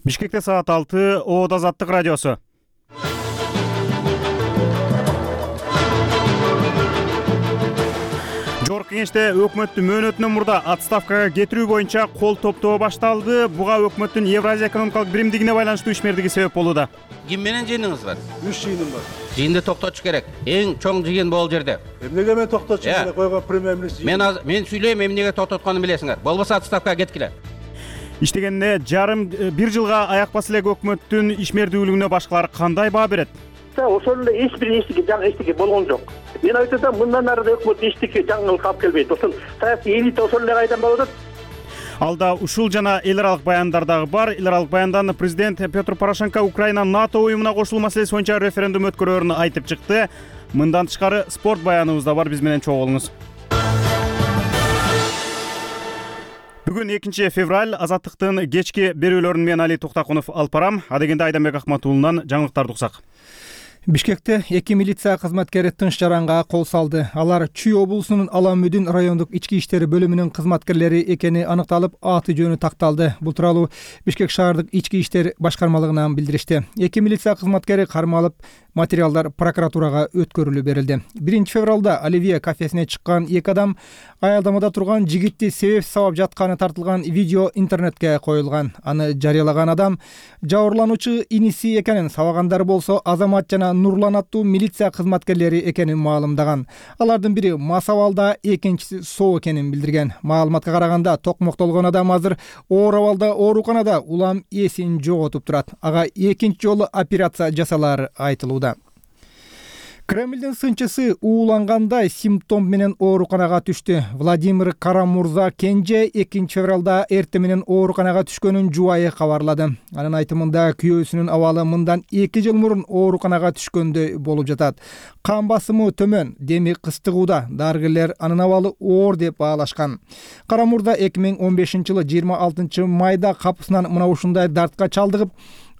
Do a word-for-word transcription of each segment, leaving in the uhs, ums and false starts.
Бишкекте саат алты, Оот Азаттык радиосу. Жогорку Кеңеште өкмөттүн мөөнөтүнөн мурда отставкага кетирүү боюнча кол топтоо башталды. Буга өкмөттүн Евразия экономикалык биримдигине байланыштуу ишмердиги себеп болууда. Ким менен жыйыныңыз бар? Үч жыйыным бар. Жыйынды токтотуш керек. Эң чоң жыйын бул жерде. Эмнеге мен токтотчу керек койгон премьер-министр? Мен мен сүйлөйм, эмнеге токтотконун билесиңер. Болбосо отставкага кеткиле. Иштегенде жарым бир жылга аяк баса элек өкмөттүн ишмердүүлүгүнө башкалар кандай баа берет? Ошол эле эч бир эчтеке жаңы эчтеке болгон жок. Мен айтып атам, мындан ары да өкмөт эчтеке жаңылык алып келбейт. Ошол саясий элита ошол эле кайдан болуп атат. Алда ушул жана эл аралык баяндар дагы бар. Эл аралык баяндан президент Петр Порошенко Украина НАТО уюмуна кошулуу маселеси боюнча референдум өткөрөөрүн айтып чыкты. Мындан тышкары спорт баяныбыз да бар, биз менен чогуу болуңуз. Бүгүн экинчи февраль, Азаттыктын кечки берүүлөрүн мен Али Туктакунов алып барам. Адегенде Айданбек Акматуулунан жаңылыктарды уксак. Бишкекте эки милиция кызматкери тынч жаранга кол салды. Алар Чүй облусунун Аламүдүн райондук ички иштер бөлүмүнүн кызматкерлери экени аныкталып, аты жөнү такталды. Бул тууралуу Бишкек шаардык ички иштер башкармалыгынан билдиришти. Эки милиция кызматкери кармалып, материалдар прокуратурага өткөрүлүп берилди. биринчи февралда Оливье кафесине чыккан эки адам аялдамада турган жигитти себеп сабап жатканы тартылган видео интернетке коюлган. Аны жарыялаган адам жабырлануучу иниси экенин, сабагандары болсо Азамат жана Нурлан аттуу милиция кызматкерлери экенин маалымдаган. Алардын бири мас абалда, экинчиси соо экенин билдирген. Маалыматка караганда, токмоктолгон адам азыр оор абалда ооруканада улам эсин жоготуп турат. Ага экинчи жолу операция жасалары айтылууда. Кремлдин сынчысы уулангандай симптом менен ооруканага түштү. Владимир Карамурза Кенже экинчи февралда эртең менен ооруканага түшкөнүн жубайы кабарлады. Анын айтымында күйөөсүнүн абалы мындан эки жыл мурун ооруканага түшкөндөй болуп жатат. Кан басымы төмөн, деми кыстыгууда. Дарыгерлер анын абалы оор деп баалашкан. Карамурза эки миң он бешинчи жылы жыйырма алтынчы майда капысынан мына ушундай дартка чалдыгып,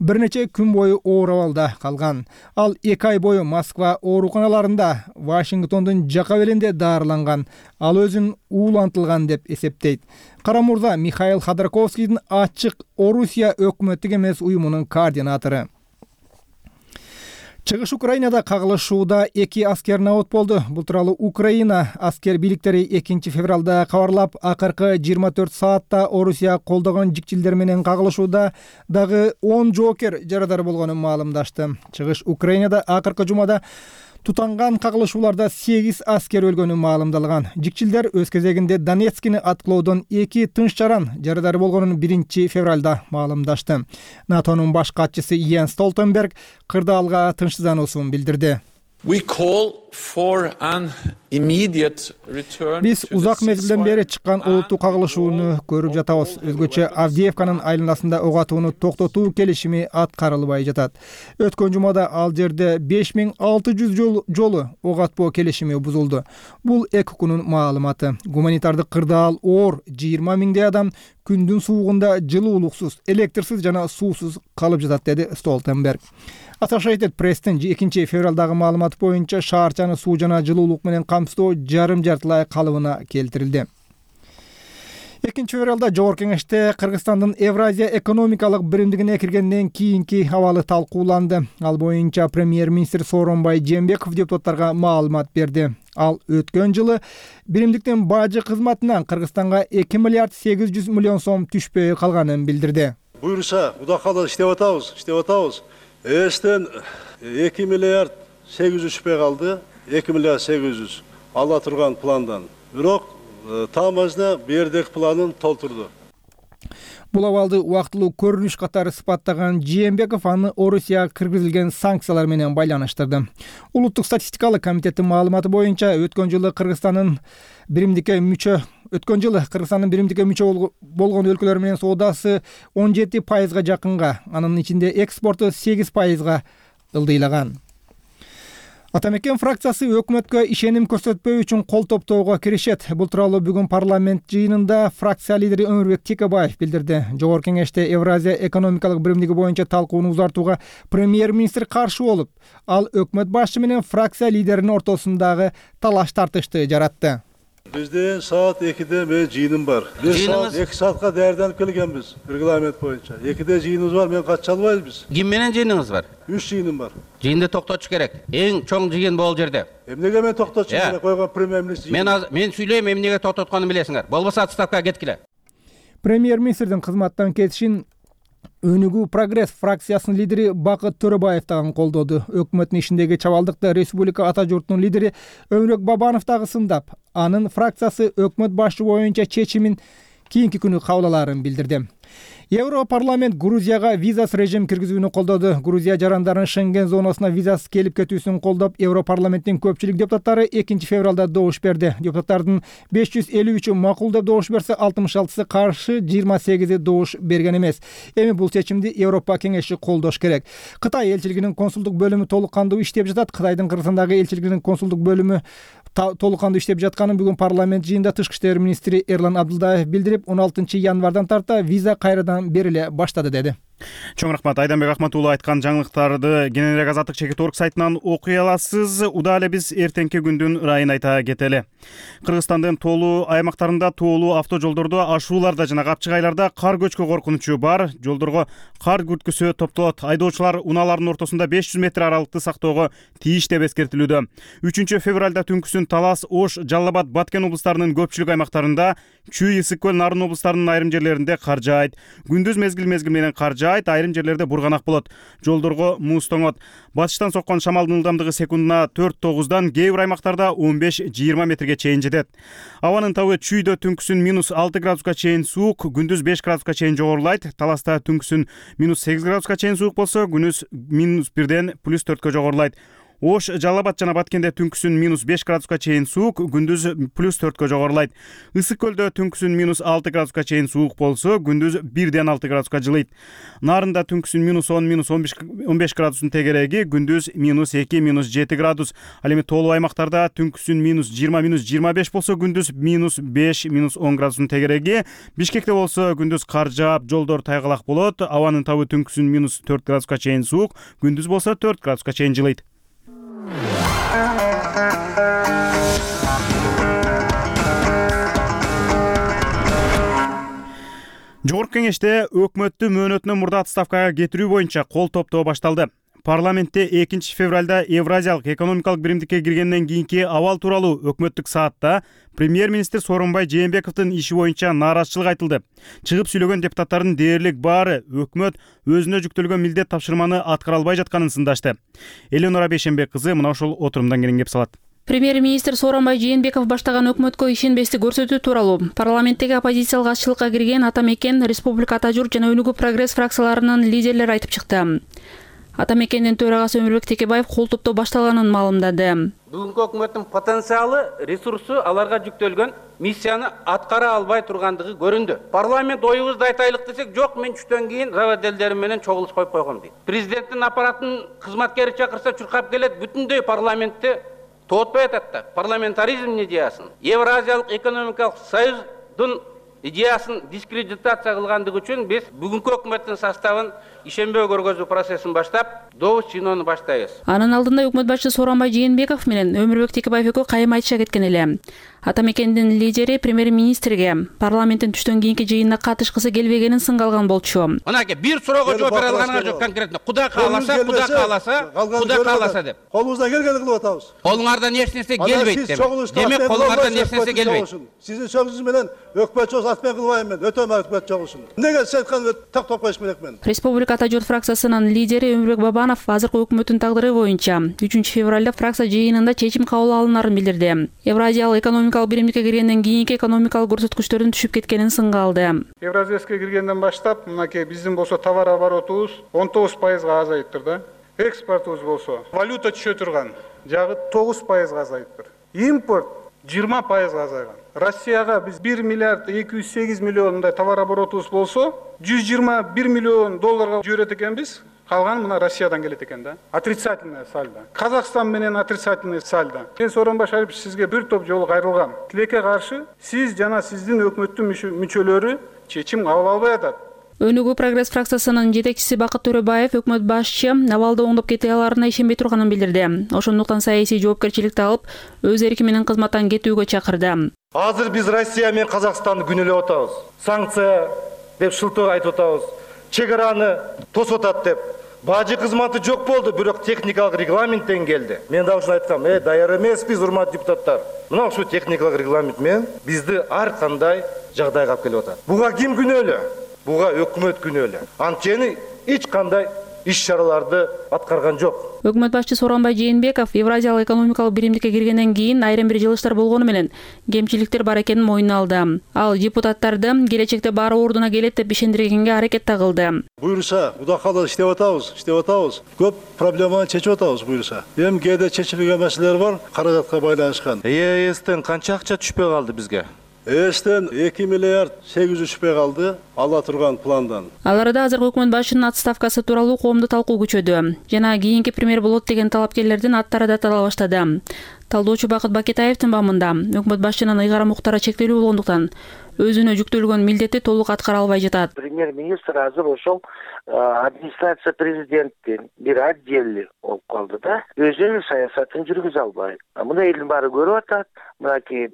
бир нече күн бою оор абалда калган. Ал эки ай бою Москва ооруканаларында, Вашингтондун жака белинде даарыланган. Ал өзүн уулантылган деп эсептейт. Карамурза Михаил Ходорковскийдин ачык Орусия өкмөттүк эмес уюмунун координатору. Чыгыш Украинада кагылышууда эки аскер набыт болду. Бул тууралуу Украина аскер бийликтери экинчи февралда кабарлап, акыркы жыйырма төрт саатта Орусия колдогон жикчилдер менен кагылышууда дагы он жоокер жарадар болгонун маалымдашты. Чыгыш Украинада акыркы жумада тутанган кагылышууларда сегиз аскер өлгөнү маалымдалган. Жикчилдер өз кезегинде Донецкини аткылоодон эки тынч жаран жарадар болгонун биринчи февралда маалымдашты. НАТОнун баш катчысы Йенс Столтенберг кырдаалга тынчсыздануусун билдирди. Биз узак мезгилден бери чыккан олуттуу кагылышууну көрүп жатабыз. Өзгөчө Авдеевканын айланасында ок атууну токтотуу келишими аткарылбай жатат. Өткөн жумада ал жерде беш миң алты жүз жолу ок атпоо келишими бузулду. Бул эки күнүн маалыматы. Гуманитардык кырдаал оор, жыйырма миңдей адам күндүн суугунда жылуулуксуз, электрсиз жана суусуз калып жатат, деди Столтенберг. Associated Press'тин экинчи февралдагы маалыматы боюнча шаарчаны суу жана жылуулук менен камсыздоо жарым жартылай калыбына келтирилди. экинчи февралда Жогорку Кеңеште Кыргызстандын Евразия экономикалык биримдигине киргенден кийинки абалы талкууланды. Ал боюнча премьер-министр Сооронбай Жээнбеков депутаттарга маалымат берди. Ал өткөн жылы биримдиктин бажы кызматынан Кыргызстанга эки миллиард сегиз жүз миллион сом түшпөй калганын билдирди. Буюрса, Кудай кааласа иштеп атабыз, иштеп атабыз. Эстен эки миллиард сегиз жүз түшпөй калды. эки миллиард сегиз жүз ала турган пландан. Бирок тамазда бердек планын толтурду. Бул абалды убактылуу көрүнүш катары сыпаттаган Жээнбеков аны Орусияга киргизилген санкциялар менен байланыштырды. Улуттук статистикалык комитеттин маалыматы боюнча өткөн жылы Кыргызстандын биримдикке мүчө өткөн жылы Кыргызстандын биримдикке мүчө болгон өлкөлөр менен соодасы он жети пайызга жакынга, анын ичинде экспорту сегиз пайызга ылдыйлаган. Атамекен фракциясы өкмөткө ишеним көрсөтпөө үчүн кол топтоого киришет. Бул тууралуу бүгүн парламент жыйынында фракция лидери Өмүрбек Текебаев билдирди. Жогорку Кеңеште Евразия экономикалык биримдиги боюнча талкууну узартууга премьер-министр каршы болуп, ал өкмөт башчы менен фракция лидеринин ортосундагы талаш тартышты жаратты. Бизден саат экиде мен жыйыным бар. Биз саат эки саатка даярданып келгенбиз регламент боюнча. экиде жыйыныбыз бар, мен кача албайбыз. Ким менен жыйыныңыз бар? үч жыйыным бар. Жыйынды токтотуш керек. Эң чоң жыйын бул жерде. Эмнеге мен токтотушум керек койгон премьер-министр? Мен мен сүйлөйм, эмнеге токтотконун билесиңер. Болбосо отставкага кеткиле. Премьер-министрдин кызматтан кетишин Өнүгүү Прогресс фракциясынын лидери Бакыт Төрөбаев дагы колдоду. Өкмөттүн ишиндеги чабалдыкты республика ата журтунун лидери Өмүрбек Бабанов дагы сындап, анын фракциясы өкмөт башы боюнча чечимин кийинки күнү кабыл алаарын билдирди. Европарламент Грузияга визасыз режим киргизүүнү колдоду. Грузия жарандарынын Шенген зонасына визасыз келип кетүүсүн колдоп, Европарламенттин көпчүлүк депутаттары экинчи февралда добуш берди. Депутаттардын беш жүз элүү үчү макул деп добуш берсе, алтымыш алтысы каршы, жыйырма сегизи добуш берген эмес. Эми бул чечимди Европа кеңеши колдош керек. Кытай элчилигинин консулдук бөлүмү толук кандуу иштеп жатат. Кытайдын Кыргызстандагы элчилигинин консулдук бөлүмү толук кандуу иштеп жатканын бүгүн парламент жыйынында тышкы иштер министри Эрлан Абдылдаев билдирип, он алтынчы январдан тарта виза кайрадан бериле баштады деди. Чоң рахмат. Айданбек Ахмат уулу айткан жаңылыктарды кененирээк азаттык чекит орг сайтынан окуй аласыз. Удаа эле биз эртеңки күндүн ырайын айта кетели. Кыргызстандын тоолуу аймактарында тоолуу автожолдордо ашууларда жана капчык айларда кар көчкү коркунучу бар. Жолдорго кар күрткүсү топтолот. Айдоочулар унаалардын ортосунда беш жүз метр аралыкты сактоого тийиш деп эскертилүүдө. үчүнчү февралда түнкүсүн Талас, Ош, Жалал Абад, Баткен облустарынын көпчүлүк аймактарында, Чүй, Ысык көл, Нарын облустарынын айрым жерлеринде кар жаайт. Күндүз мезгил мезгил менен кар жаайт, айрым жерлерде бурганак болот. Жолдорго муз тоңот. Батыштан соккон шамалдын ылдамдыгы секундуна төрт тогуздан, кээ бир аймактарда он беш жыйырма метрге чейин жетет. Абанын табы Чүйдө түнкүсүн минус алты градуска чейин суук, күндүз беш градуска чейин жогорулайт. Таласта түнкүсүн минус сегиз градуска чейин суук болсо, күнүз минус бирден плюс төрткө жогорулайт. Ош, Жалал Абад жана Баткенде түнкүсүн минус беш градуска чейин суук, күндүз плюс төрткө жогорулайт. Ысык көлдө түнкүсүн минус алты градуска чейин суук болсо, күндүз бирден алты градуска жылыйт. Нарында түнкүсүн минус он, минус он беш градустун тегереги, күндүз минус эки, минус жети градус. Ал эми тоолуу аймактарда түнкүсүн минус жыйырма, минус жыйырма беш болсо, күндүз минус беш, минус он градустун тегереги. Бишкекте болсо, күндүз кар жаап, жолдор тайгалак болот. Абанын табы түнкүсүн минус төрт градуска чейин суук, күндүз болсо төрт градуска чейин жылыйт. Жогорку кеңеште өкмөттү мөөнөтүнөн мурда отставкага кетирүү боюнча кол топтоо башталды. Парламентте экинчи февралда Евразиялык экономикалык биримдикке киргенден кийинки абал тууралуу өкмөттүк саатта премьер-министр Сооронбай Жээнбековдун иши боюнча нааразычылык айтылды. Чыгып сүйлөгөн депутаттардын дээрлик баары өкмөт өзүнө жүктөлгөн милдет тапшырманы аткара албай жатканын сындашты. Эленора Бейшенбек кызы мына ушул отурумдан кийин кеп салат. Премьер-министр Сооронбай Жээнбеков баштаган өкмөткө ишенбестик көрсөтүү тууралуу парламенттеги оппозициялык атчылыкка кирген Ата Мекен, Республика Ата журт жана Өнүгүү Прогресс фракцияларынын лидерлери айтып чыкты. Ата Мекендин төрагасы Өмүрбек Текебаев кол топтоо башталганын маалымдады. Бүгүнкү өкмөттүн потенциалы, ресурсу аларга жүктөлгөн миссияны аткара албай тургандыгы көрүндү. Парламент оюбузду айтайлык десек, жок, мен түштөн кийин заводделдерим менен чогулуш коюп койгом дейт. Президенттин аппаратынын кызматкери чакырса чуркап келет, бүтүндөй парламентти тоотпой атат да. Парламентаризм идеясын, Евразиялык экономикалык союздун идеясын дискредитация кылгандыгы үчүн биз бүгүнкү өкмөттүн составын ишенбөө көргөзүү процессин баштап, добуш жыйноону баштайбыз. Анын алдында өкмөт башчысы Сооронбай Жээнбеков менен Өмүрбек Текебаев экөө кайым айтыша кеткен эле. Ата Мекендин лидери премьер-министрге парламенттин түштөн кийинки жыйынына катышкысы келбегенин сынга алган болчу. Мынакей бир суроого жооп бере алганыңар жок конкретно. Кудай кааласа, Кудай кааласа, Кудай кааласа деп. Колубуздан келгенди кылып атабыз. Колуңардан эч нерсе келбейт деп. Демек колуңардан эч нерсе келбейт. Сиздин сөзүңүз менен өкмөт чогуу атмен кылбайм мен, өтө өкмөт чогуусун. Эмнеге сиз айткан токтоп коюш керек мен? Республика Ата журт фракциясынын лидери Өмүрбек Бабанов азыркы өкмөттүн тагдыры боюнча үчүнчү февралда фракция жыйынында чечим кабыл алынарын билдирди. Евразиялык экономикалык биримдикке киргенден кийинки экономикалык көрсөткүчтөрдүн түшүп кеткенин сынга алды. Евразияске киргенден баштап, мынакей биздин болсо товар оборотубуз он тогуз пайызга азайыптыр да. Экспортубуз болсо валюта түшө турган жагы тогуз пайызга азайыптыр. Импорт жыйырма пайызга азайган. Россияга биз бир миллиард эки жүз сегиз миллиондай товар оборотубуз болсо, жүз жыйырма бир миллион долларга жиберет экенбиз. Калган мына Россиядан келет экен да. Отрицательный сальдо. Казакстан менен отрицательный сальдо. Мен Сооронбай Шарипович сизге бир топ жолу кайрылгам. Тилекке каршы сиз жана сиздин өкмөттүн мүчөлөрү чечим кабыл албай атат. Өнүгүү Прогресс фракциясынын жетекчиси Бакыт Төрөбаев өкмөт башчы абалды оңдоп кете аларына ишенбей турганын билдирди. Ошондуктан саясий жоопкерчиликти алып, өз эрки менен кызматтан кетүүгө чакырды. Азыр биз Россия менен Казакстанды күнөөлөп атабыз. Санкция деп шылтоо айтып атабыз. Чек араны тосуп атат деп. Бажы кызматы жок болду, бирок техникалык регламенттен келди. Мен да ушуну айткам, э, даяр эмеспиз, урматтуу депутаттар. Мына ушул техникалык регламент менен бизди ар кандай жагдайга алып келип атат. Буга ким күнөөлүү? Буга өкмөт күнөөлүү. Анткени эч кандай иш-чараларды аткарган жок. Өкмөт башчысы Сооронбай Жээнбеков Евразиялык экономикалык биримдикке киргенден кийин айрым бир жылыштар болгону менен кемчиликтер бар экенин мойнуна алды. Ал депутаттарды келечекте баары ордуна келет деп ишендиргенге аракет да кылды. Буюрса, Кудай кааласа иштеп атабыз, иштеп атабыз. Көп проблеманы чечип атабыз буюрса. Эми кээде чечилбеген маселелер бар, каражатка байланышкан. Э Эстен канча акча түшпөй калды бизге? Эстен эки миллиард сегиз жүз түшпөй калды ала турган пландан. Ал арада азыркы өкмөт башчынын отставкасы тууралуу коомдо талкуу күчөдү. Жана кийинки премьер болот деген талапкерлердин аттары да тарала баштады. Талдоочу Бакыт Бакетаевдин бамында өкмөт башчынын ыйгарым укуктары чектелүү болгондуктан өзүнө жүктөлгөн милдетти толук аткара албай жатат. Премьер-министр азыр ошол администрация президенттин бир отдели болуп калды да. Өзүнүн саясатын жүргүзө албайт. Муну элдин баары көрүп атат. Мынакей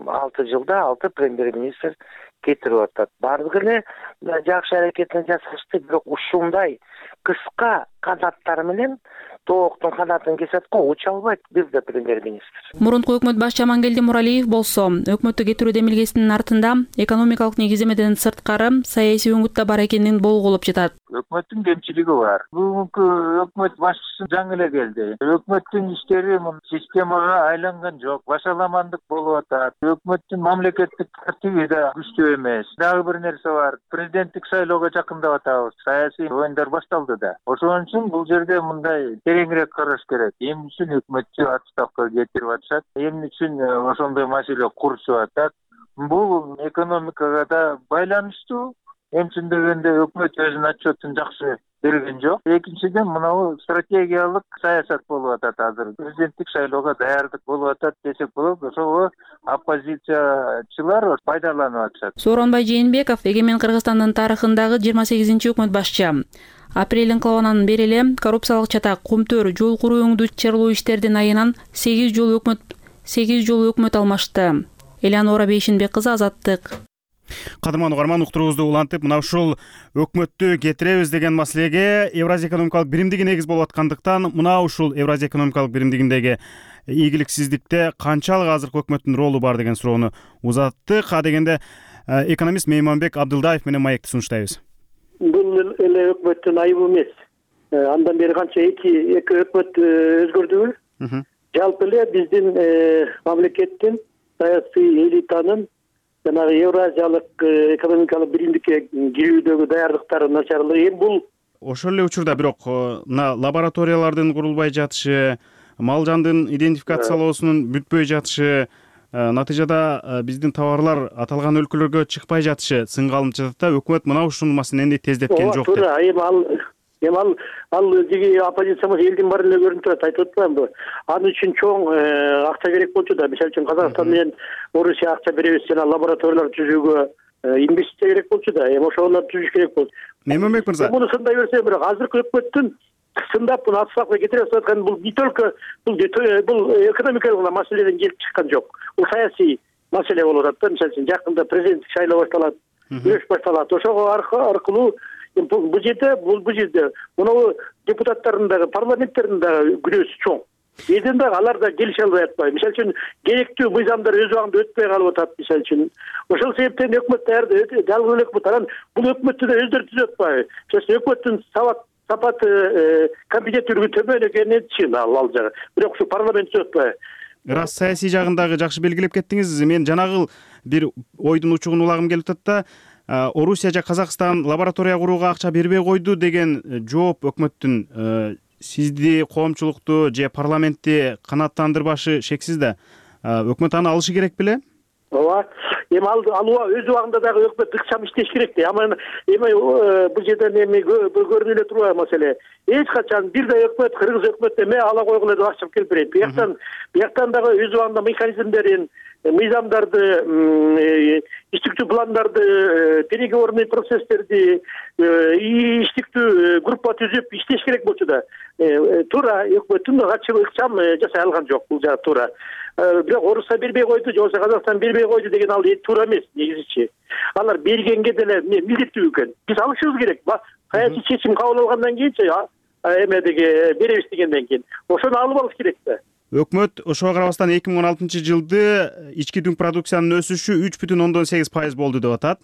алты жылда алты премьер-министр кетирип атат. Бардыгы эле жакшы аракетин жасашты, бирок ушундай кыска канаттар менен тооктун канатын кесет го, уча албайт бир да премьер-министр. Мурунку өкмөт башчы Амангелди Муралиев болсо, өкмөттү кетирүү демилгесинин артында экономикалык негиздемеден сырткары саясий өңүт да бар экенин болгулуп жатат. Өкмөттүн кемчилиги бар. Бүгүнкү өкмөт башчысы жаңы эле келди. Өкмөттүн иштери системага айланган жок, башаламандык болуп атат. Өкмөттүн мамлекеттик тартиби да күчтүү эмес. Дагы бир нерсе бар. Президенттик шайлоого жакындап атабыз. Саясий оюндар башталды да. Ошон үчүн бул жерде мындай тереңирээк караш керек. Эмне үчүн өкмөтчү отставкага кетирип атышат? Эмне үчүн ошондой маселе курчуп атат? Бул экономикага да байланыштуу. Эмчин дегенде өкмөт өзүнүн отчетун жакшы берген жок. Экинчиден мынау стратегиялык саясат болуп атат азыр. Президенттик шайлоого даярдык болуп атат десек болот. Ошого оппозициячылар пайдаланып атышат. Сооронбай Жээнбеков эгемен Кыргызстандын тарыхындагы жыйырма сегизинчи өкмөт башчы. Апрель инкылабынан бери эле коррупциялык чатак, кумтөр, жол куруу өңдүү чыгарылуу иштердин айынан сегиз жолу өкмөт сегиз жолу өкмөт алмашты. Элеонора Бейшинбек кызы, Азаттык. Кадырман угарман, уктуруубузду улантып, мына ушул өкмөттү кетиребиз деген маселеге Евразия экономикалык биримдиги негиз болуп аткандыктан, мына ушул Евразия экономикалык биримдигиндеги ийгиликсиздикте канчалык азыркы өкмөттүн ролу бар деген суроону узаттык. А дегенде экономист Мейманбек Абдылдаев менен маекти сунуштайбыз. Бул эле өкмөттүн айыбы эмес. Андан бери канча эки эки өкмөт өзгөрдүбү? Жалпы эле биздин мамлекеттин саясий элитанын жанагы Евразиялык экономикалык биримдикке кирүүдөгү даярдыктары начарлыгы. Эми бул ошол эле учурда бирок мына лабораториялардын курулбай жатышы, мал жандын идентификациялоосунун бүтпөй жатышы, натыйжада биздин товарлар аталган өлкөлөргө чыкпай жатышы сынга алынып жатат да, өкмөт мына ушул маселени тездеткен жок деп. Туура, эми ал эми ал ал жеги оппозиция эмес, элдин баары эле көрүнүп турат, айтып атпаймынбы? Аны үчүн чоң акча керек болчу да. Мисалы үчүн Казакстан менен Орусия акча беребиз, жана лабораториялар түзүүгө инвестиция керек болчу да. Эми ошолорду түзүш керек болчу. Мейманбек мырза, муну сындай берсе, бирок азыркы өкмөттүн сындап муну отставкага кетирип аткан бул не только бул бул экономикалык маселеден келип чыккан жок. Бул саясий маселе болуп атат да. Мисалы үчүн жакында президенттик шайлоо башталат, күрөш башталат. Ошого аркылуу бул жерде бул бул жерде мына депутаттардын дагы, парламенттердин дагы күнөөсү чоң. Эден дагы алар да келише албай атпайбы. Мисалы үчүн керектүү мыйзамдар өз убагында өтпөй калып атат, мисалы үчүн. Ошол себептен өкмөт даярды, жалгыз эле өкмөт анан бул өкмөттү да өздөрү түзүп атпайбы. Мисалы өкмөттүн сабат сапаты компетенттүүлүгү төмөн экенин чын ал ал жагы. Бирок ушу парламент түзүп атпайбы. Рас саясий жагындагы жакшы белгилеп кеттиңиз. Мен жанагыл бир ойдун учугун улагым келип атат да. Орусия же Казакстан лаборатория курууга акча бербей койду деген жооп өкмөттүн сизди, коомчулукту же парламентти канааттандырбашы шексиз да. Өкмөт аны алышы керек беле? Ооба. Эми ал алууга өз убагында дагы өкмөт ыкчам иштеш керек да. Эми эми бул жерден эми көрүнүп эле турбайбы маселе. Эч качан бир да өкмөт, кыргыз өкмөтү эме ала койгула деп акча келип берет. Бияктан бияктан дагы өз убагында механизмдерин, мыйзамдарды, иштиктүү пландарды, переговорный процесстерди, иштиктүү группа түзүп иштеш керек болчу да. Туура өкмөттүн ыкчам жасай алган жок, бул жагы туура. бирок Орусия бербей койду же болбосо Казакстан бербей койду деген ал туура эмес негизичи. Алар бергенге деле милдеттүү экен. Биз алышыбыз керек. Саясий чечим кабыл алгандан кийинчи эмедеги беребиз дегенден кийин ошону алып алыш керек да. Өкмөт ошого карабастан эки миң он алтынчы жылды ички дүң продукциянын өсүшү үч бүтүн ондон сегиз пайыз болду деп атат.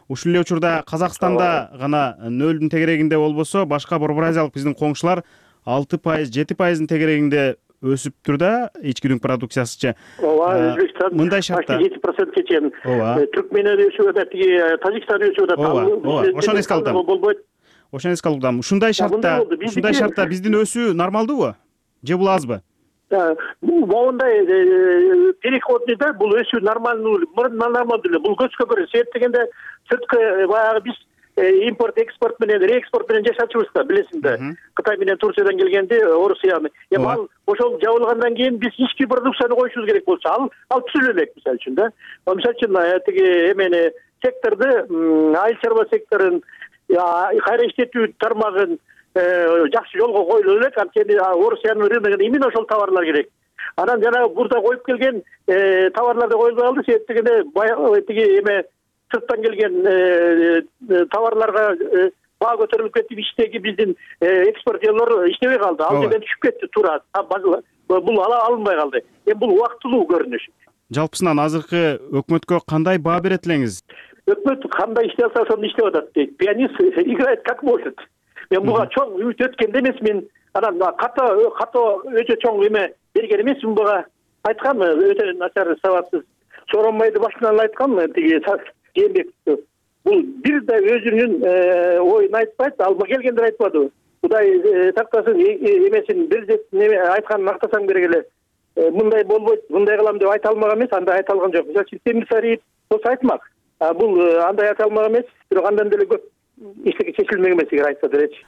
Ушул эле учурда Казакстанда гана нөлдүн тегерегинде болбосо, башка Борбор Азиялык биздин коңшулар алты пайыз, жети пайыздын тегерегинде өсүптүр да ички дүң продукциясычы. Ооба, Өзбекстан мындай шартта жети процентке чейин. Түркменстан өсүп атат, Тажикстан өсүп атат. Ооба, ошону эске алам. Болбойт. Ошону эске алам. Ушундай шартта, ушундай шартта биздин өсүү нормалдуубу? Же бул азбы? Моундай переходный да бул өсүү нормалдуу, нормалдуу эле. Бул көчкө көрө себеп дегенде сырткы баягы биз импорт экспорт менен реэкспорт менен жашачубыз да, билесиң да. Кытай менен Турциядан келгенде Орусияны. Эми ал ошол жабылгандан кийин биз ички продукцияны коюшубуз керек болчу, ал ал түзүлө элек мисалы үчүн да. Мисалы үчүн тиги эмени секторду, айыл чарба секторун, кайра иштетүү тармагын жакшы жолго коюлу элек, анткени Орусиянын рыногуна именно ошол товарлар керек. Анан жанагы бурда коюп келген товарларды коюлбай калды, себеп дегенде тиги эме сырттан келген товарларга баа көтөрүлүп кетип, иштеги биздин экспортерлор иштебей калды. Ал жерден түшүп кетти туура. Бул алынбай калды. Эми бул убактылуу көрүнүш. Жалпысынан азыркы өкмөткө кандай баа берет элеңиз? Өкмөт кандай иштей алса ошону иштеп атат дейт. Пианист играет как может. Мен буга чоң үмүт өткөндө эмесмин. Анан ката ката өтө чоң эме берген эмесмин буга. Айткам, өтө начар сабатсыз. Сооронбайды башынан айткам, тиги Жээнбековду. Бул бир да өзүнүн оюн айтпайт, алма келгендер айтпады. Кудай тактасын эмесин бир эме айтканын актасаң керек эле. Мындай болбойт, мындай кылам деп айта алмак эмес, андай айта алган жок. Мисалы үчүн Темирсариев болсо айтмак. Бул андай айта алмак эмес, бирок андан деле көп иштеги чечилмек эмес эгер айтса делечи.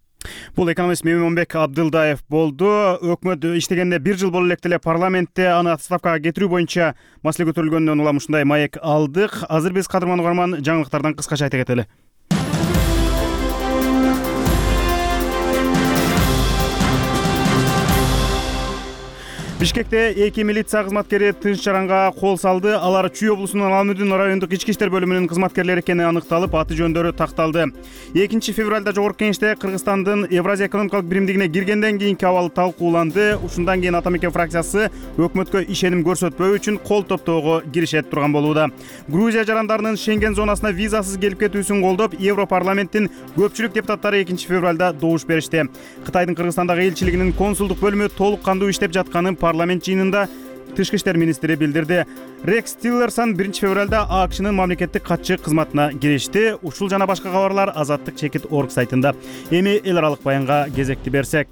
Бул экономист Мемонбек Абдылдаев болду. Өкмөт иштегенде бир жыл боло элек деле парламентте аны отставкага кетирүү боюнча маселе көтөрүлгөндөн улам ушундай маек алдык. Азыр биз кадырман угарман жаңылыктардан кыскача айта кетели. Бишкекте эки милиция кызматкери тынч жаранга кол салды. Алар Чүй облусунун Алмүдүн райондук ички иштер бөлүмүнүн кызматкерлери экени аныкталып, аты жөндөрү такталды. экинчи февралда Жогорку Кеңеште Кыргызстандын Евразия экономикалык биримдигине киргенден кийинки абалы талкууланды. Ушундан кийин Ата Мекен фракциясы өкмөткө ишеним көрсөтпөө үчүн кол топтоого киришет турган болууда. Грузия жарандарынын Шенген зонасына визасыз келип кетүүсүн колдоп, Европарламенттин көпчүлүк депутаттары экинчи февралда добуш беришти. Кытайдын Кыргызстандагы элчилигинин консулдук бөлүмү толук кандуу иштеп жатканын парламент жыйынында Тышкы иштер министри билдирди. Рекс Тиллерсон биринчи февралда АКШнын мамлекеттик катчы кызматына киришти. Ушул жана башка кабарлар Азаттык чекит точка орг сайтында. Эми эл аралык баянга кезекти берсек.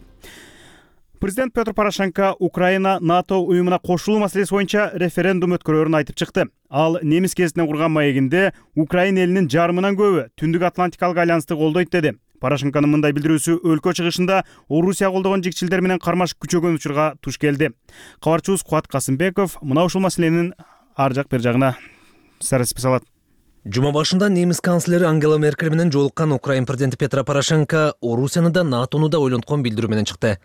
Президент Петр Порошенко Украина НАТО уюмуна кошулуу маселеси боюнча референдум өткөрөрүн айтып чыкты. Ал немис кезинен курган маегинде Украина элинин жарымынан көбү Түндүк Атлантикалык айланысты колдойт деди. Порошенконун мындай билдирүүсү өлкө чыгышында Орусия колдогон жигчилдер менен кармаш күчөгөн учурга туш келди. Кабарчыбыз Кубат Касымбеков мына ушул маселенин ар жак бер жагына сарыспы салат. Жума башында немис канцлери Ангела Меркель менен жолуккан Украин президенти Петр Порошенко Орусияны да НАТОну да ойлонткон билдирүү менен чыкты.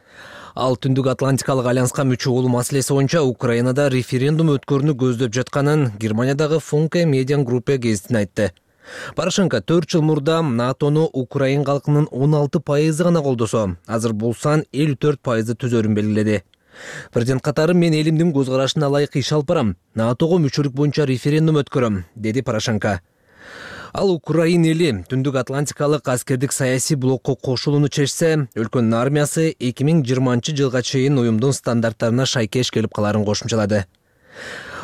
Ал Түндүк Атлантикалык айланышка мүчө болуу маселеси боюнча Украинада референдум өткөрүүнү көздөп жатканын Германиядагы Funke Median Gruppe гезитине айтты. Порошенко төрт жыл мурда НАТОну Украин калкынын он алты пайызы гана колдосо, азыр бул сан элүү төрт пайызды түзөрүн белгиледи. Президент катары мен элимдин көз карашына ылайык иш алып барам, НАТОго мүчөлүк боюнча референдум өткөрөм, деди Порошенко. Ал Украин эли Түндүк Атлантикалык аскердик саясий блокко кошулууну чечсе, өлкөнүн армиясы эки миң жыйырманчы жылга чейин уюмдун стандарттарына шайкеш келип каларын кошумчалады.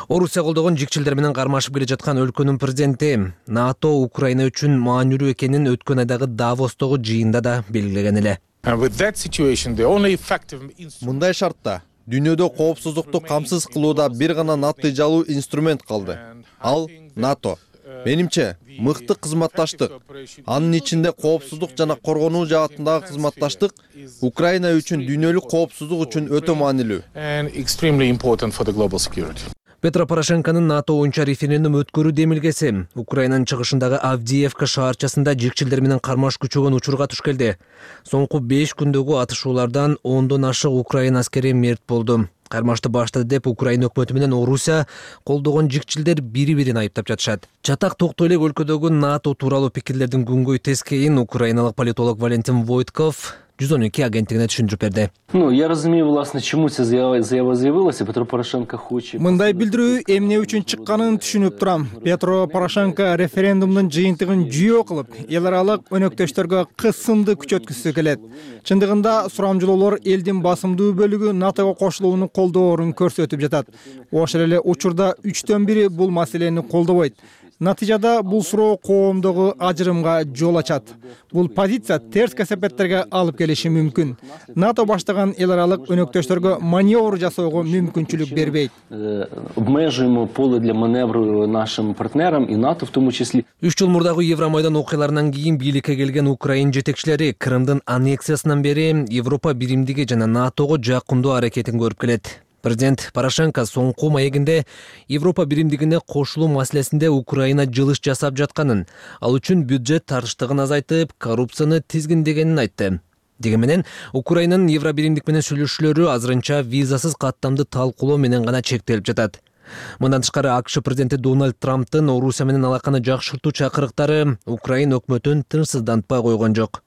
Орусия колдогон жигчилдер менен кармашып келе жаткан өлкөнүн президенти НАТО Украина үчүн маанилүү экенин өткөн айдагы Давостогу жыйында да белгилеген эле. Мындай шартта дүйнөдө коопсуздукту камсыз кылууда бир гана натыйжалуу инструмент калды. Ал НАТО. Менимче, мыкты кызматташтык. Анын ичинде коопсуздук жана коргонуу жаатындагы кызматташтык Украина үчүн дүйнөлүк коопсуздук үчүн өтө маанилүү. Петро Порошенконун НАТО боюнча референдум өткөрүү демилгеси Украинанын чыгышындагы Авдиевка шаарчасында жигчилдер менен кармаш күчөгөн учурга туш келди. Соңку беш күндөгү атышуулардан ондон ашык Украина аскери мерт болду. кармашты баштады деп Украина өкмөтү менен Орусия колдогон жикчилдер бири-бирин айыптап жатышат. Чатак токтой элек өлкөдөгү НАТО тууралуу пикирлердин күнгөй тескейин украиналык политолог Валентин Войтков жүз он эки агенттигине түшүндүрүп берди. Ну, я разумею, власне, чему ця заява заявилася. Петро Порошенко хочет. Мындай билдирүү эмне үчүн чыкканын түшүнүп турам. Петро Порошенко референдумдун жыйынтыгын жүйө кылып, эл аралык өнөктөштөргө кысымды күчөткүсү келет. Чындыгында сурамжылоолор элдин басымдуу бөлүгү НАТОго кошулууну колдоорун көрсөтүп жатат. Ошол эле учурда үчтөн бири бул маселени колдобойт. Натыйжада бул суроо коомдогу ажырымга жол ачат. Бул позиция терс кесепеттерге алып келиши мүмкүн. НАТО баштаган эл аралык өнөктөштөргө маневр жасоого мүмкүнчүлүк бербейт. Обмежуємо поле для маневру нашим партнерам и НАТО в том числе. Үч жыл мурдагы Евромайдан окуяларынан кийин бийликке келген Украин жетекчилери Крымдын аннексиясынан бери Европа биримдиги жана НАТОго жакындоо аракетин көрүп келет. Президент Порошенко соңку маегинде Европа биримдигине кошулуу маселесинде Украина жылыш жасап жатканын, ал үчүн бюджет тартыштыгын азайтып, коррупцияны тизгиндегенин айтты. Деги менен Украинанын Евро биримдик менен сүйлөшүүлөрү азырынча визасыз каттамды талкуулоо менен гана чектелип жатат. Мындан тышкары АКШ президенти Дональд Трамптын Орусия менен алаканы жакшыртуу чакырыктары Украина өкмөтүн тынчсыздантпай койгон жок.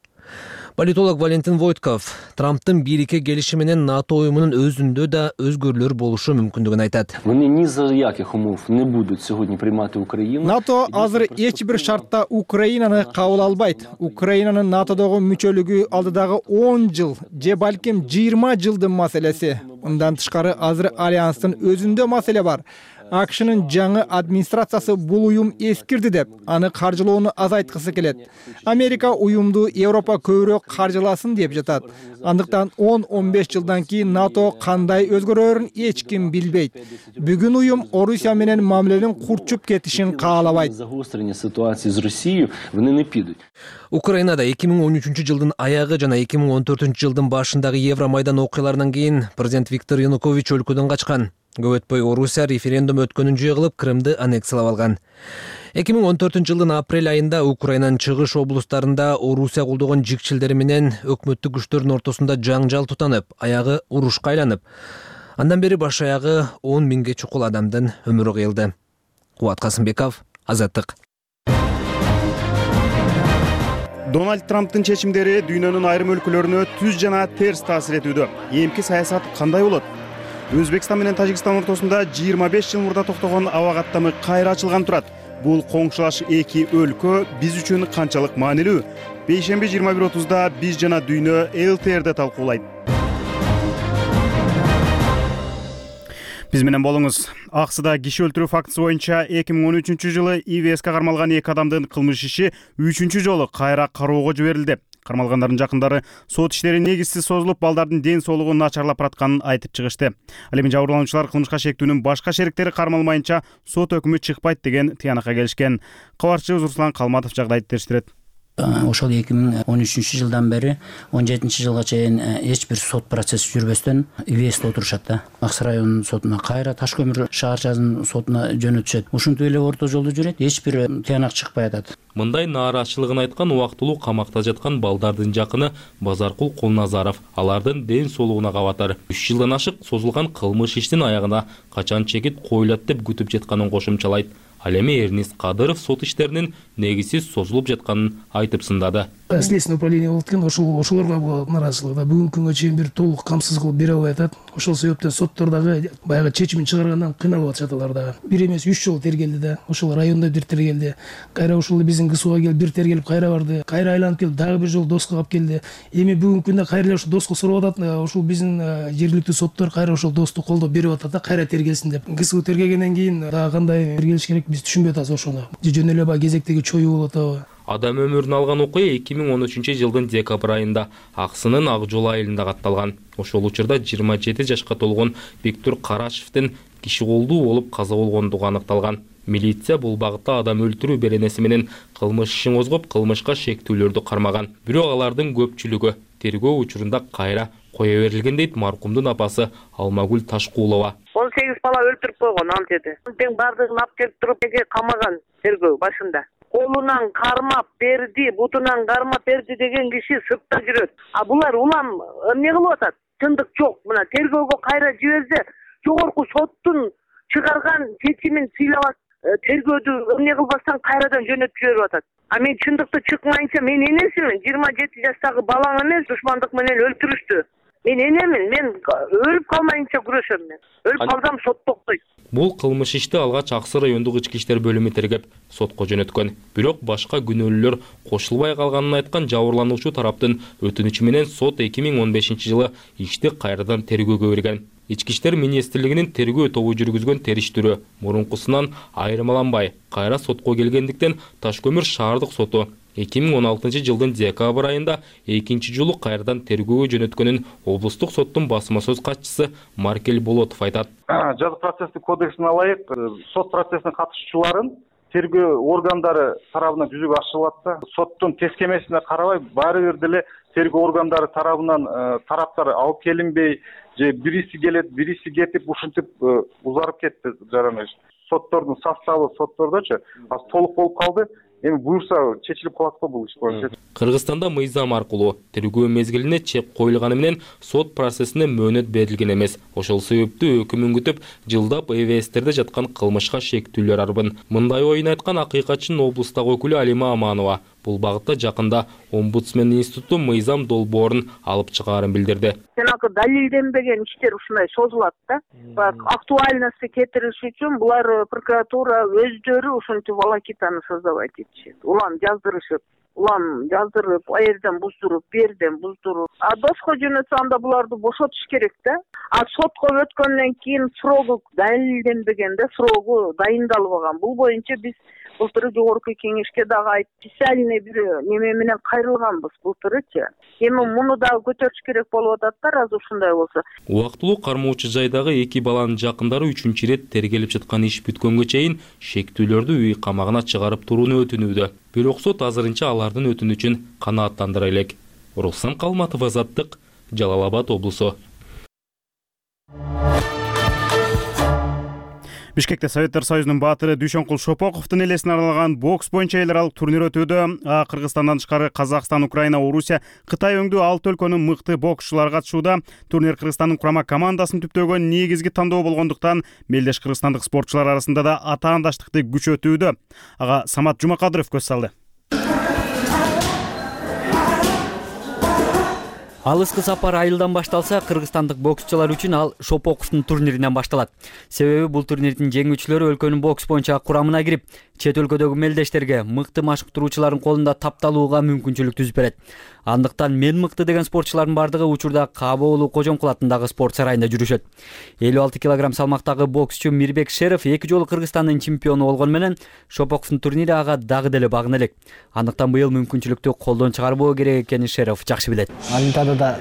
Политолог Валентин Войтков Трамптын бийликке келиши менен НАТО уюмунун өзүндө да өзгөрүүлөр болушу мүмкүндүгүн айтат. Вони ні за яких умов не будуть сьогодні приймати Україну. НАТО азыр эч бир шартта Украинаны кабыл албайт. Украинанын НАТОдогу мүчөлүгү алдыдагы он жыл же балким жыйырма жылдын маселеси. Мындан тышкары азыр альянстын өзүндө маселе бар. АКШнын жаңы администрациясы бул уюм эскирди деп, аны каржылоону азайткысы келет. Америка уюмду Европа көбүрөөк каржыласын деп жатат. Андыктан он он беш жылдан кийин НАТО кандай өзгөрөрүн эч ким билбейт. Бүгүн уюм Орусия менен мамиленин курчуп кетишин каалабайт. Загострення ситуації з Росією вони не підуть. Украинада эки миң он үчүнчү жылдын аягы жана эки миң он төртүнчү жылдын башындагы Евромайдан окуяларынан кийин президент Виктор Янукович өлкөдөн качкан. Көп өтпөй Орусия референдум өткөнүн жөө кылып Крымды аннексиялап алган. эки миң он төртүнчү жылдын апрель айында Украинанын чыгыш облустарында Орусия колдогон жикчилдери менен өкмөттүк күчтөрдүн ортосунда жаңжал тутанып, аягы урушка айланып. Андан бери баш аягы он миңге чукул адамдын өмүрү кыйылды. Кубат Касымбеков, Азаттык. Дональд Трамптын чечимдери дүйнөнүн айрым өлкөлөрүнө түз жана терс таасир этүүдө. Эмки саясат кандай болот? Өзбекстан менен Тажикстан ортосунда жыйырма беш жыл мурда токтогон аба каттамы кайра ачылган турат. Бул коңшулаш эки өлкө биз үчүн канчалык маанилүү? Бейшемби жыйырма бир отузда биз жана дүйнө Эл Ти Эрде талкуулайт. Биз менен болуңуз. Аксыда киши өлтүрүү фактысы боюнча эки миң он үчүнчү жылы И В С'ке кармалган эки адамдын кылмыш иши үчүнчү жолу кайра кароого жиберилди. Кармалгандардын жакындары сот иштери негизсиз созулуп, балдардын ден соолугу начарлап баратканын айтып чыгышты. Ал эми жабырлануучулар кылмышка шектүүнүн башка шериктери кармалмайынча сот өкүмү чыкпайт деген тыянакка келишкен. Кабарчыбыз Руслан Калматов жагдайды териштирет. Ошол эки миң он үчүнчү жылдан бери он жетинчи жылга чейин эч бир сот процесси жүрбөстөн И В С'те отурушат да. Аксы районунун сотуна кайра, Таш көмүр шаарчасынын сотуна жөнөтүшөт. Ушинтип эле орто жолдо жүрөт, эч бир тыянак чыкпай атат. Мындай нааразычылыгын айткан убактылуу камакта жаткан балдардын жакыны Базаркул Кулназаров алардын ден соолугуна кабатар. үч жылдан ашык созулган кылмыш иштин аягына качан чекит коюлат деп күтүп жатканын кошумчалайт. Ал эми Эрнис Кадыров сот иштеринин негизсиз созулуп жатканын айтып сындады. Следственное управление болот экен, ошол ошолорго болот нааразычылык. Бүгүнкү күнгө чейин бир толук камсыз кылып бере албай атат. Ошол себептен соттордогу баягы чечимин чыгаргандан кыйналып атышат алар дагы. Бир эмес үч жолу тергелди да. Ошол райондо бир тергелди. Кайра ошол биздин КСУга келип бир тергелип кайра барды. Кайра айланып келип дагы бир жолу Доска калып келди. Эми бүгүнкү күндө кайра эле ошол Доско сурап атат. Ошол биздин жергиликтүү соттор кайра ошол Досту колдоп берип атат да, кайра тергелсин деп. КСУ тергегенден кийин дагы кандай тергелиш керек биз түшүнбөй атабыз ошону. Жөн эле баягы кезектеги чоюу болуп атабы. Адам өмүрүн алган окуя эки миң он үчүнчү жылдын декабрь айында Аксынын Ак жол айылында катталган. Ошол учурда жыйырма жети жашка толгон Бектур Карашевдин киши колдуу болуп каза болгондугу аныкталган. Милиция бул багытта адам өлтүрүү беренеси менен кылмыш ишин козгоп, кылмышка шектүүлөрдү кармаган. Бирок алардын көпчүлүгү тергөө учурунда кайра кое берилген дейт маркумдун апасы Алмагүл Ташкулова. он сегиз бала өлтүрүп койгон ал жерде. Тең бардыгын алып келип туруп эге камаган тергөө башында. Колунан кармап берди, бутунан кармап берди деген киши сыртта жүрөт. А булар улам эмне кылып атат? чындык жок. Мына тергөөгө кайра жиберсе, жогорку соттун чыгарган чечимин сыйлап тергөөдү эмне кылбастан кайрадан жөнөтүп жиберип атат. А мен чындыкты чыкмайынча мен энесимин. жыйырма жети жаштагы балаң эмес, душмандык менен өлтүрүштү. Мен энемин, мен өлүп калмайынча күрөшөм мен. Өлүп калсам сот токтойт. Бул кылмыш ишти алгач Аксы райондук ички иштер бөлүмү тергеп, сотко жөнөткөн. Бирок башка күнөөлүүлөр кошулбай калганын айткан жабырлануучу тараптын өтүнүчү менен сот эки миң он бешинчи жылы ишти кайрадан тергөөгө берген. Ички иштер министрлигинин тергөө тобу жүргүзгөн териштирүү мурункусунан айырмаланбай кайра сотко келгендиктен Таш көмүр шаардык соту эки миң он алтынчы жылдын декабрь айында экинчи жолу кайрадан тергөөгө жөнөткөнүн облустук соттун басма сөз катчысы Маркель Болотов айтат. Жаза процесстик кодексине ылайык сот процессине катышуучуларын тергөө органдары тарабынан жүзөгө ашырылат да, соттун тескемесине карабай баары бир деле тергөө органдары тарабынан тараптар алып келинбей, же бириси келет, бириси кетип, ушинтип узарып кетти жараны. Соттордун составы соттордочу аз толук болуп калды. Эми буюрса чечилип калат го бул иш боюнча. Кыргызстанда мыйзам аркылуу тергөө мезгилине чек коюлганы менен сот процессине мөөнөт берилген эмес. Ошол себептүү өкүмүн күтүп, жылдап эвестерде жаткан кылмышка шектүүлөр арбын. Мындай оюн айткан акыйкатчынын облустагы өкүлү Алима Аманова бул багытта жакында омбудсмен институту мыйзам долбоорун алып чыгаарын билдирди. Жанагы далилденбеген иштер ушундай созулат да. Актуальности кетириш үчүн булар прокуратура өздөрү ушинтип волокитаны создавать этишет. Улам жаздырышып, улам жаздырып, а жерден буздуруп, берден буздуруп. А доско жөнөтсө анда буларды бошотуш керек да. А сотко өткөндөн кийин срогу далилденбеген да, срогу дайындалбаган. Бул боюнча биз былтыры жогорку кеңешке дагы айтып, специальный бир неме менен кайрылганбыз былтырычы. Эми муну дагы көтөрүш керек болуп атат да, раз ушундай болсо. Убактылуу кармоочу жайдагы эки баланын жакындары үчүнчү ирет тергелип жаткан иш бүткөнгө чейин шектүүлөрдү үй камагына чыгарып турууну өтүнүүдө. Бирок сот азырынча алардын өтүнүчүн канааттандыра элек. Руслан Калматов, Азаттык, Жалал Абад облусу. Бишкекте Советтер Союзунун баатыры Дүйшөнкул Шопоковдун элесине арналган бокс боюнча эл аралык турнир өтүүдө. Кыргызстандан тышкары Казакстан, Украина, Орусия, Кытай өңдүү алты өлкөнүн мыкты боксчулары катышууда. Турнир Кыргызстандын курама командасын түптөгөн негизги тандоо болгондуктан мелдеш кыргызстандык спортчулар арасында да атаандаштыкты күчөтүүдө. Ага Самат Жумакадыров көз салды. Алыскы сапар айылдан башталса, кыргызстандык боксчулар үчүн ал Шопоковдун турниринен башталат. Себеби бул турнирдин жеңүүчүлөрү өлкөнүн бокс боюнча курамына кирип, чет өлкөдөгү мелдештерге, мыкты машыктыруучулардын колунда тапталууга мүмкүнчүлүк түзүп берет. Андыктан мен мыкты деген спортчулардын бардыгы учурда Каба уулу Кожомкул атындагы спорт сарайында жүрүшөт. элүү алты килограмм салмактагы боксчу Мирбек Шеров эки жолу Кыргызстандын чемпиону болгону менен Шопоковдун турнири ага дагы деле багына элек. Андыктан быйыл мүмкүнчүлүктү колдон чыгарбоо керек экенин Шеров жакшы билет. Олимпиадада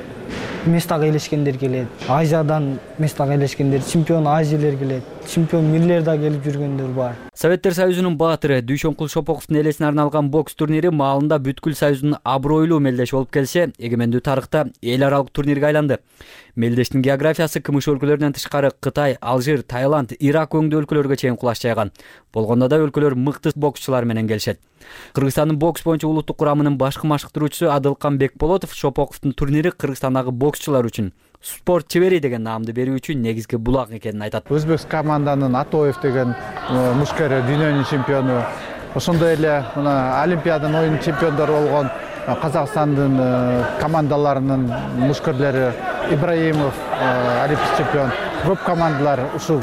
местага ээлешкендер келет, Азиядан местага ээлешкендер, чемпион Азиялер келет, чемпион мирлер да келип жүргөндөр бар. Советтер Союзунун баатыры Дүйшөнкул Шопоковдун элесине арналган бокс турнири маалында бүткүл союздун абройлуу мелдеш болуп келсе, эгемендүү тарыхта эл аралык турнирге айланды. Мелдештин географиясы кымыш өлкөлөрүнөн тышкары Кытай, Алжир, Таиланд, Ирак өңдүү өлкөлөргө чейин кулаш жайган. Болгондо да өлкөлөр мыкты боксчулар менен келишет. Кыргызстандын бокс боюнча улуттук курамынын башкы машыктыруучусу Адылкан Бекболотов Шопоковдун турнири Кыргызстандагы боксчулар үчүн спорт чебери деген наамды берүү үчүн негизги булак экенин айтат. Өзбек команданын Атоев деген мушкері дүйнөнүн чемпиону, ошондой эле мына Олимпиаданын оюн чемпиондору болгон Казакстандын командаларынын мушкерлери Ибраимов, олимпийский чемпион, көп командалар ушу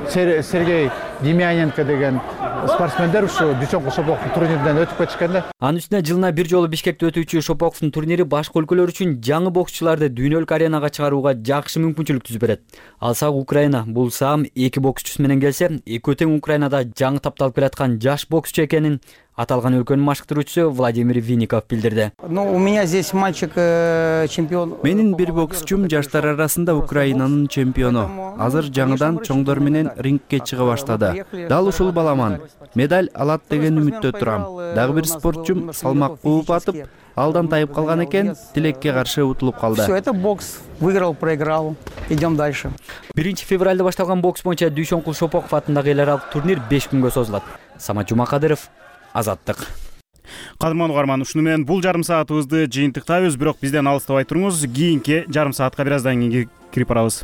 Сергей Демьяненко деген спортсмендер ушу Дүйшөнкул Шопоковдун турниринен өтүп кетишкен да. Анын үстүнө жылына бир жолу Бишкекте өтүүчү Шопоковдун турнири башка өлкөлөр үчүн жаңы боксчуларды дүйнөлүк аренага чыгарууга жакшы мүмкүнчүлүк түзүп берет. Алсак Украина бул саам эки боксчусу менен келсе, экөө тең Украинада жаңы тапталып келаткан жаш боксчу экенин аталган өлкөнүн машыктыруучусу Владимир Винников билдирди. Ну, у меня здесь мальчик чемпион. Менин бир боксчум жаштар арасында Украинанын чемпиону. Азыр жаңыдан чоңдор менен рингке чыга баштады. Дал ушул баламан. Медаль алат деген үмүттө турам. Дагы бир спортчум салмак кууп атып, алдан тайып калган экен, тилекке каршы утулуп калды. Всё, это бокс. Выиграл, проиграл. Идем дальше. биринчи февралда башталган бокс боюнча Дүйшөнкул Шопоков атындагы эл аралык турнир беш күнгө созулат. Самат Жумакадыров, Азаттык. Кадырман угарман, ушуну менен бул жарым саатыбызды жыйынтыктайбыз, бирок бизден алыстабай туруңуз. Кийинки жарым саатка бир аздан кийин кирип барабыз.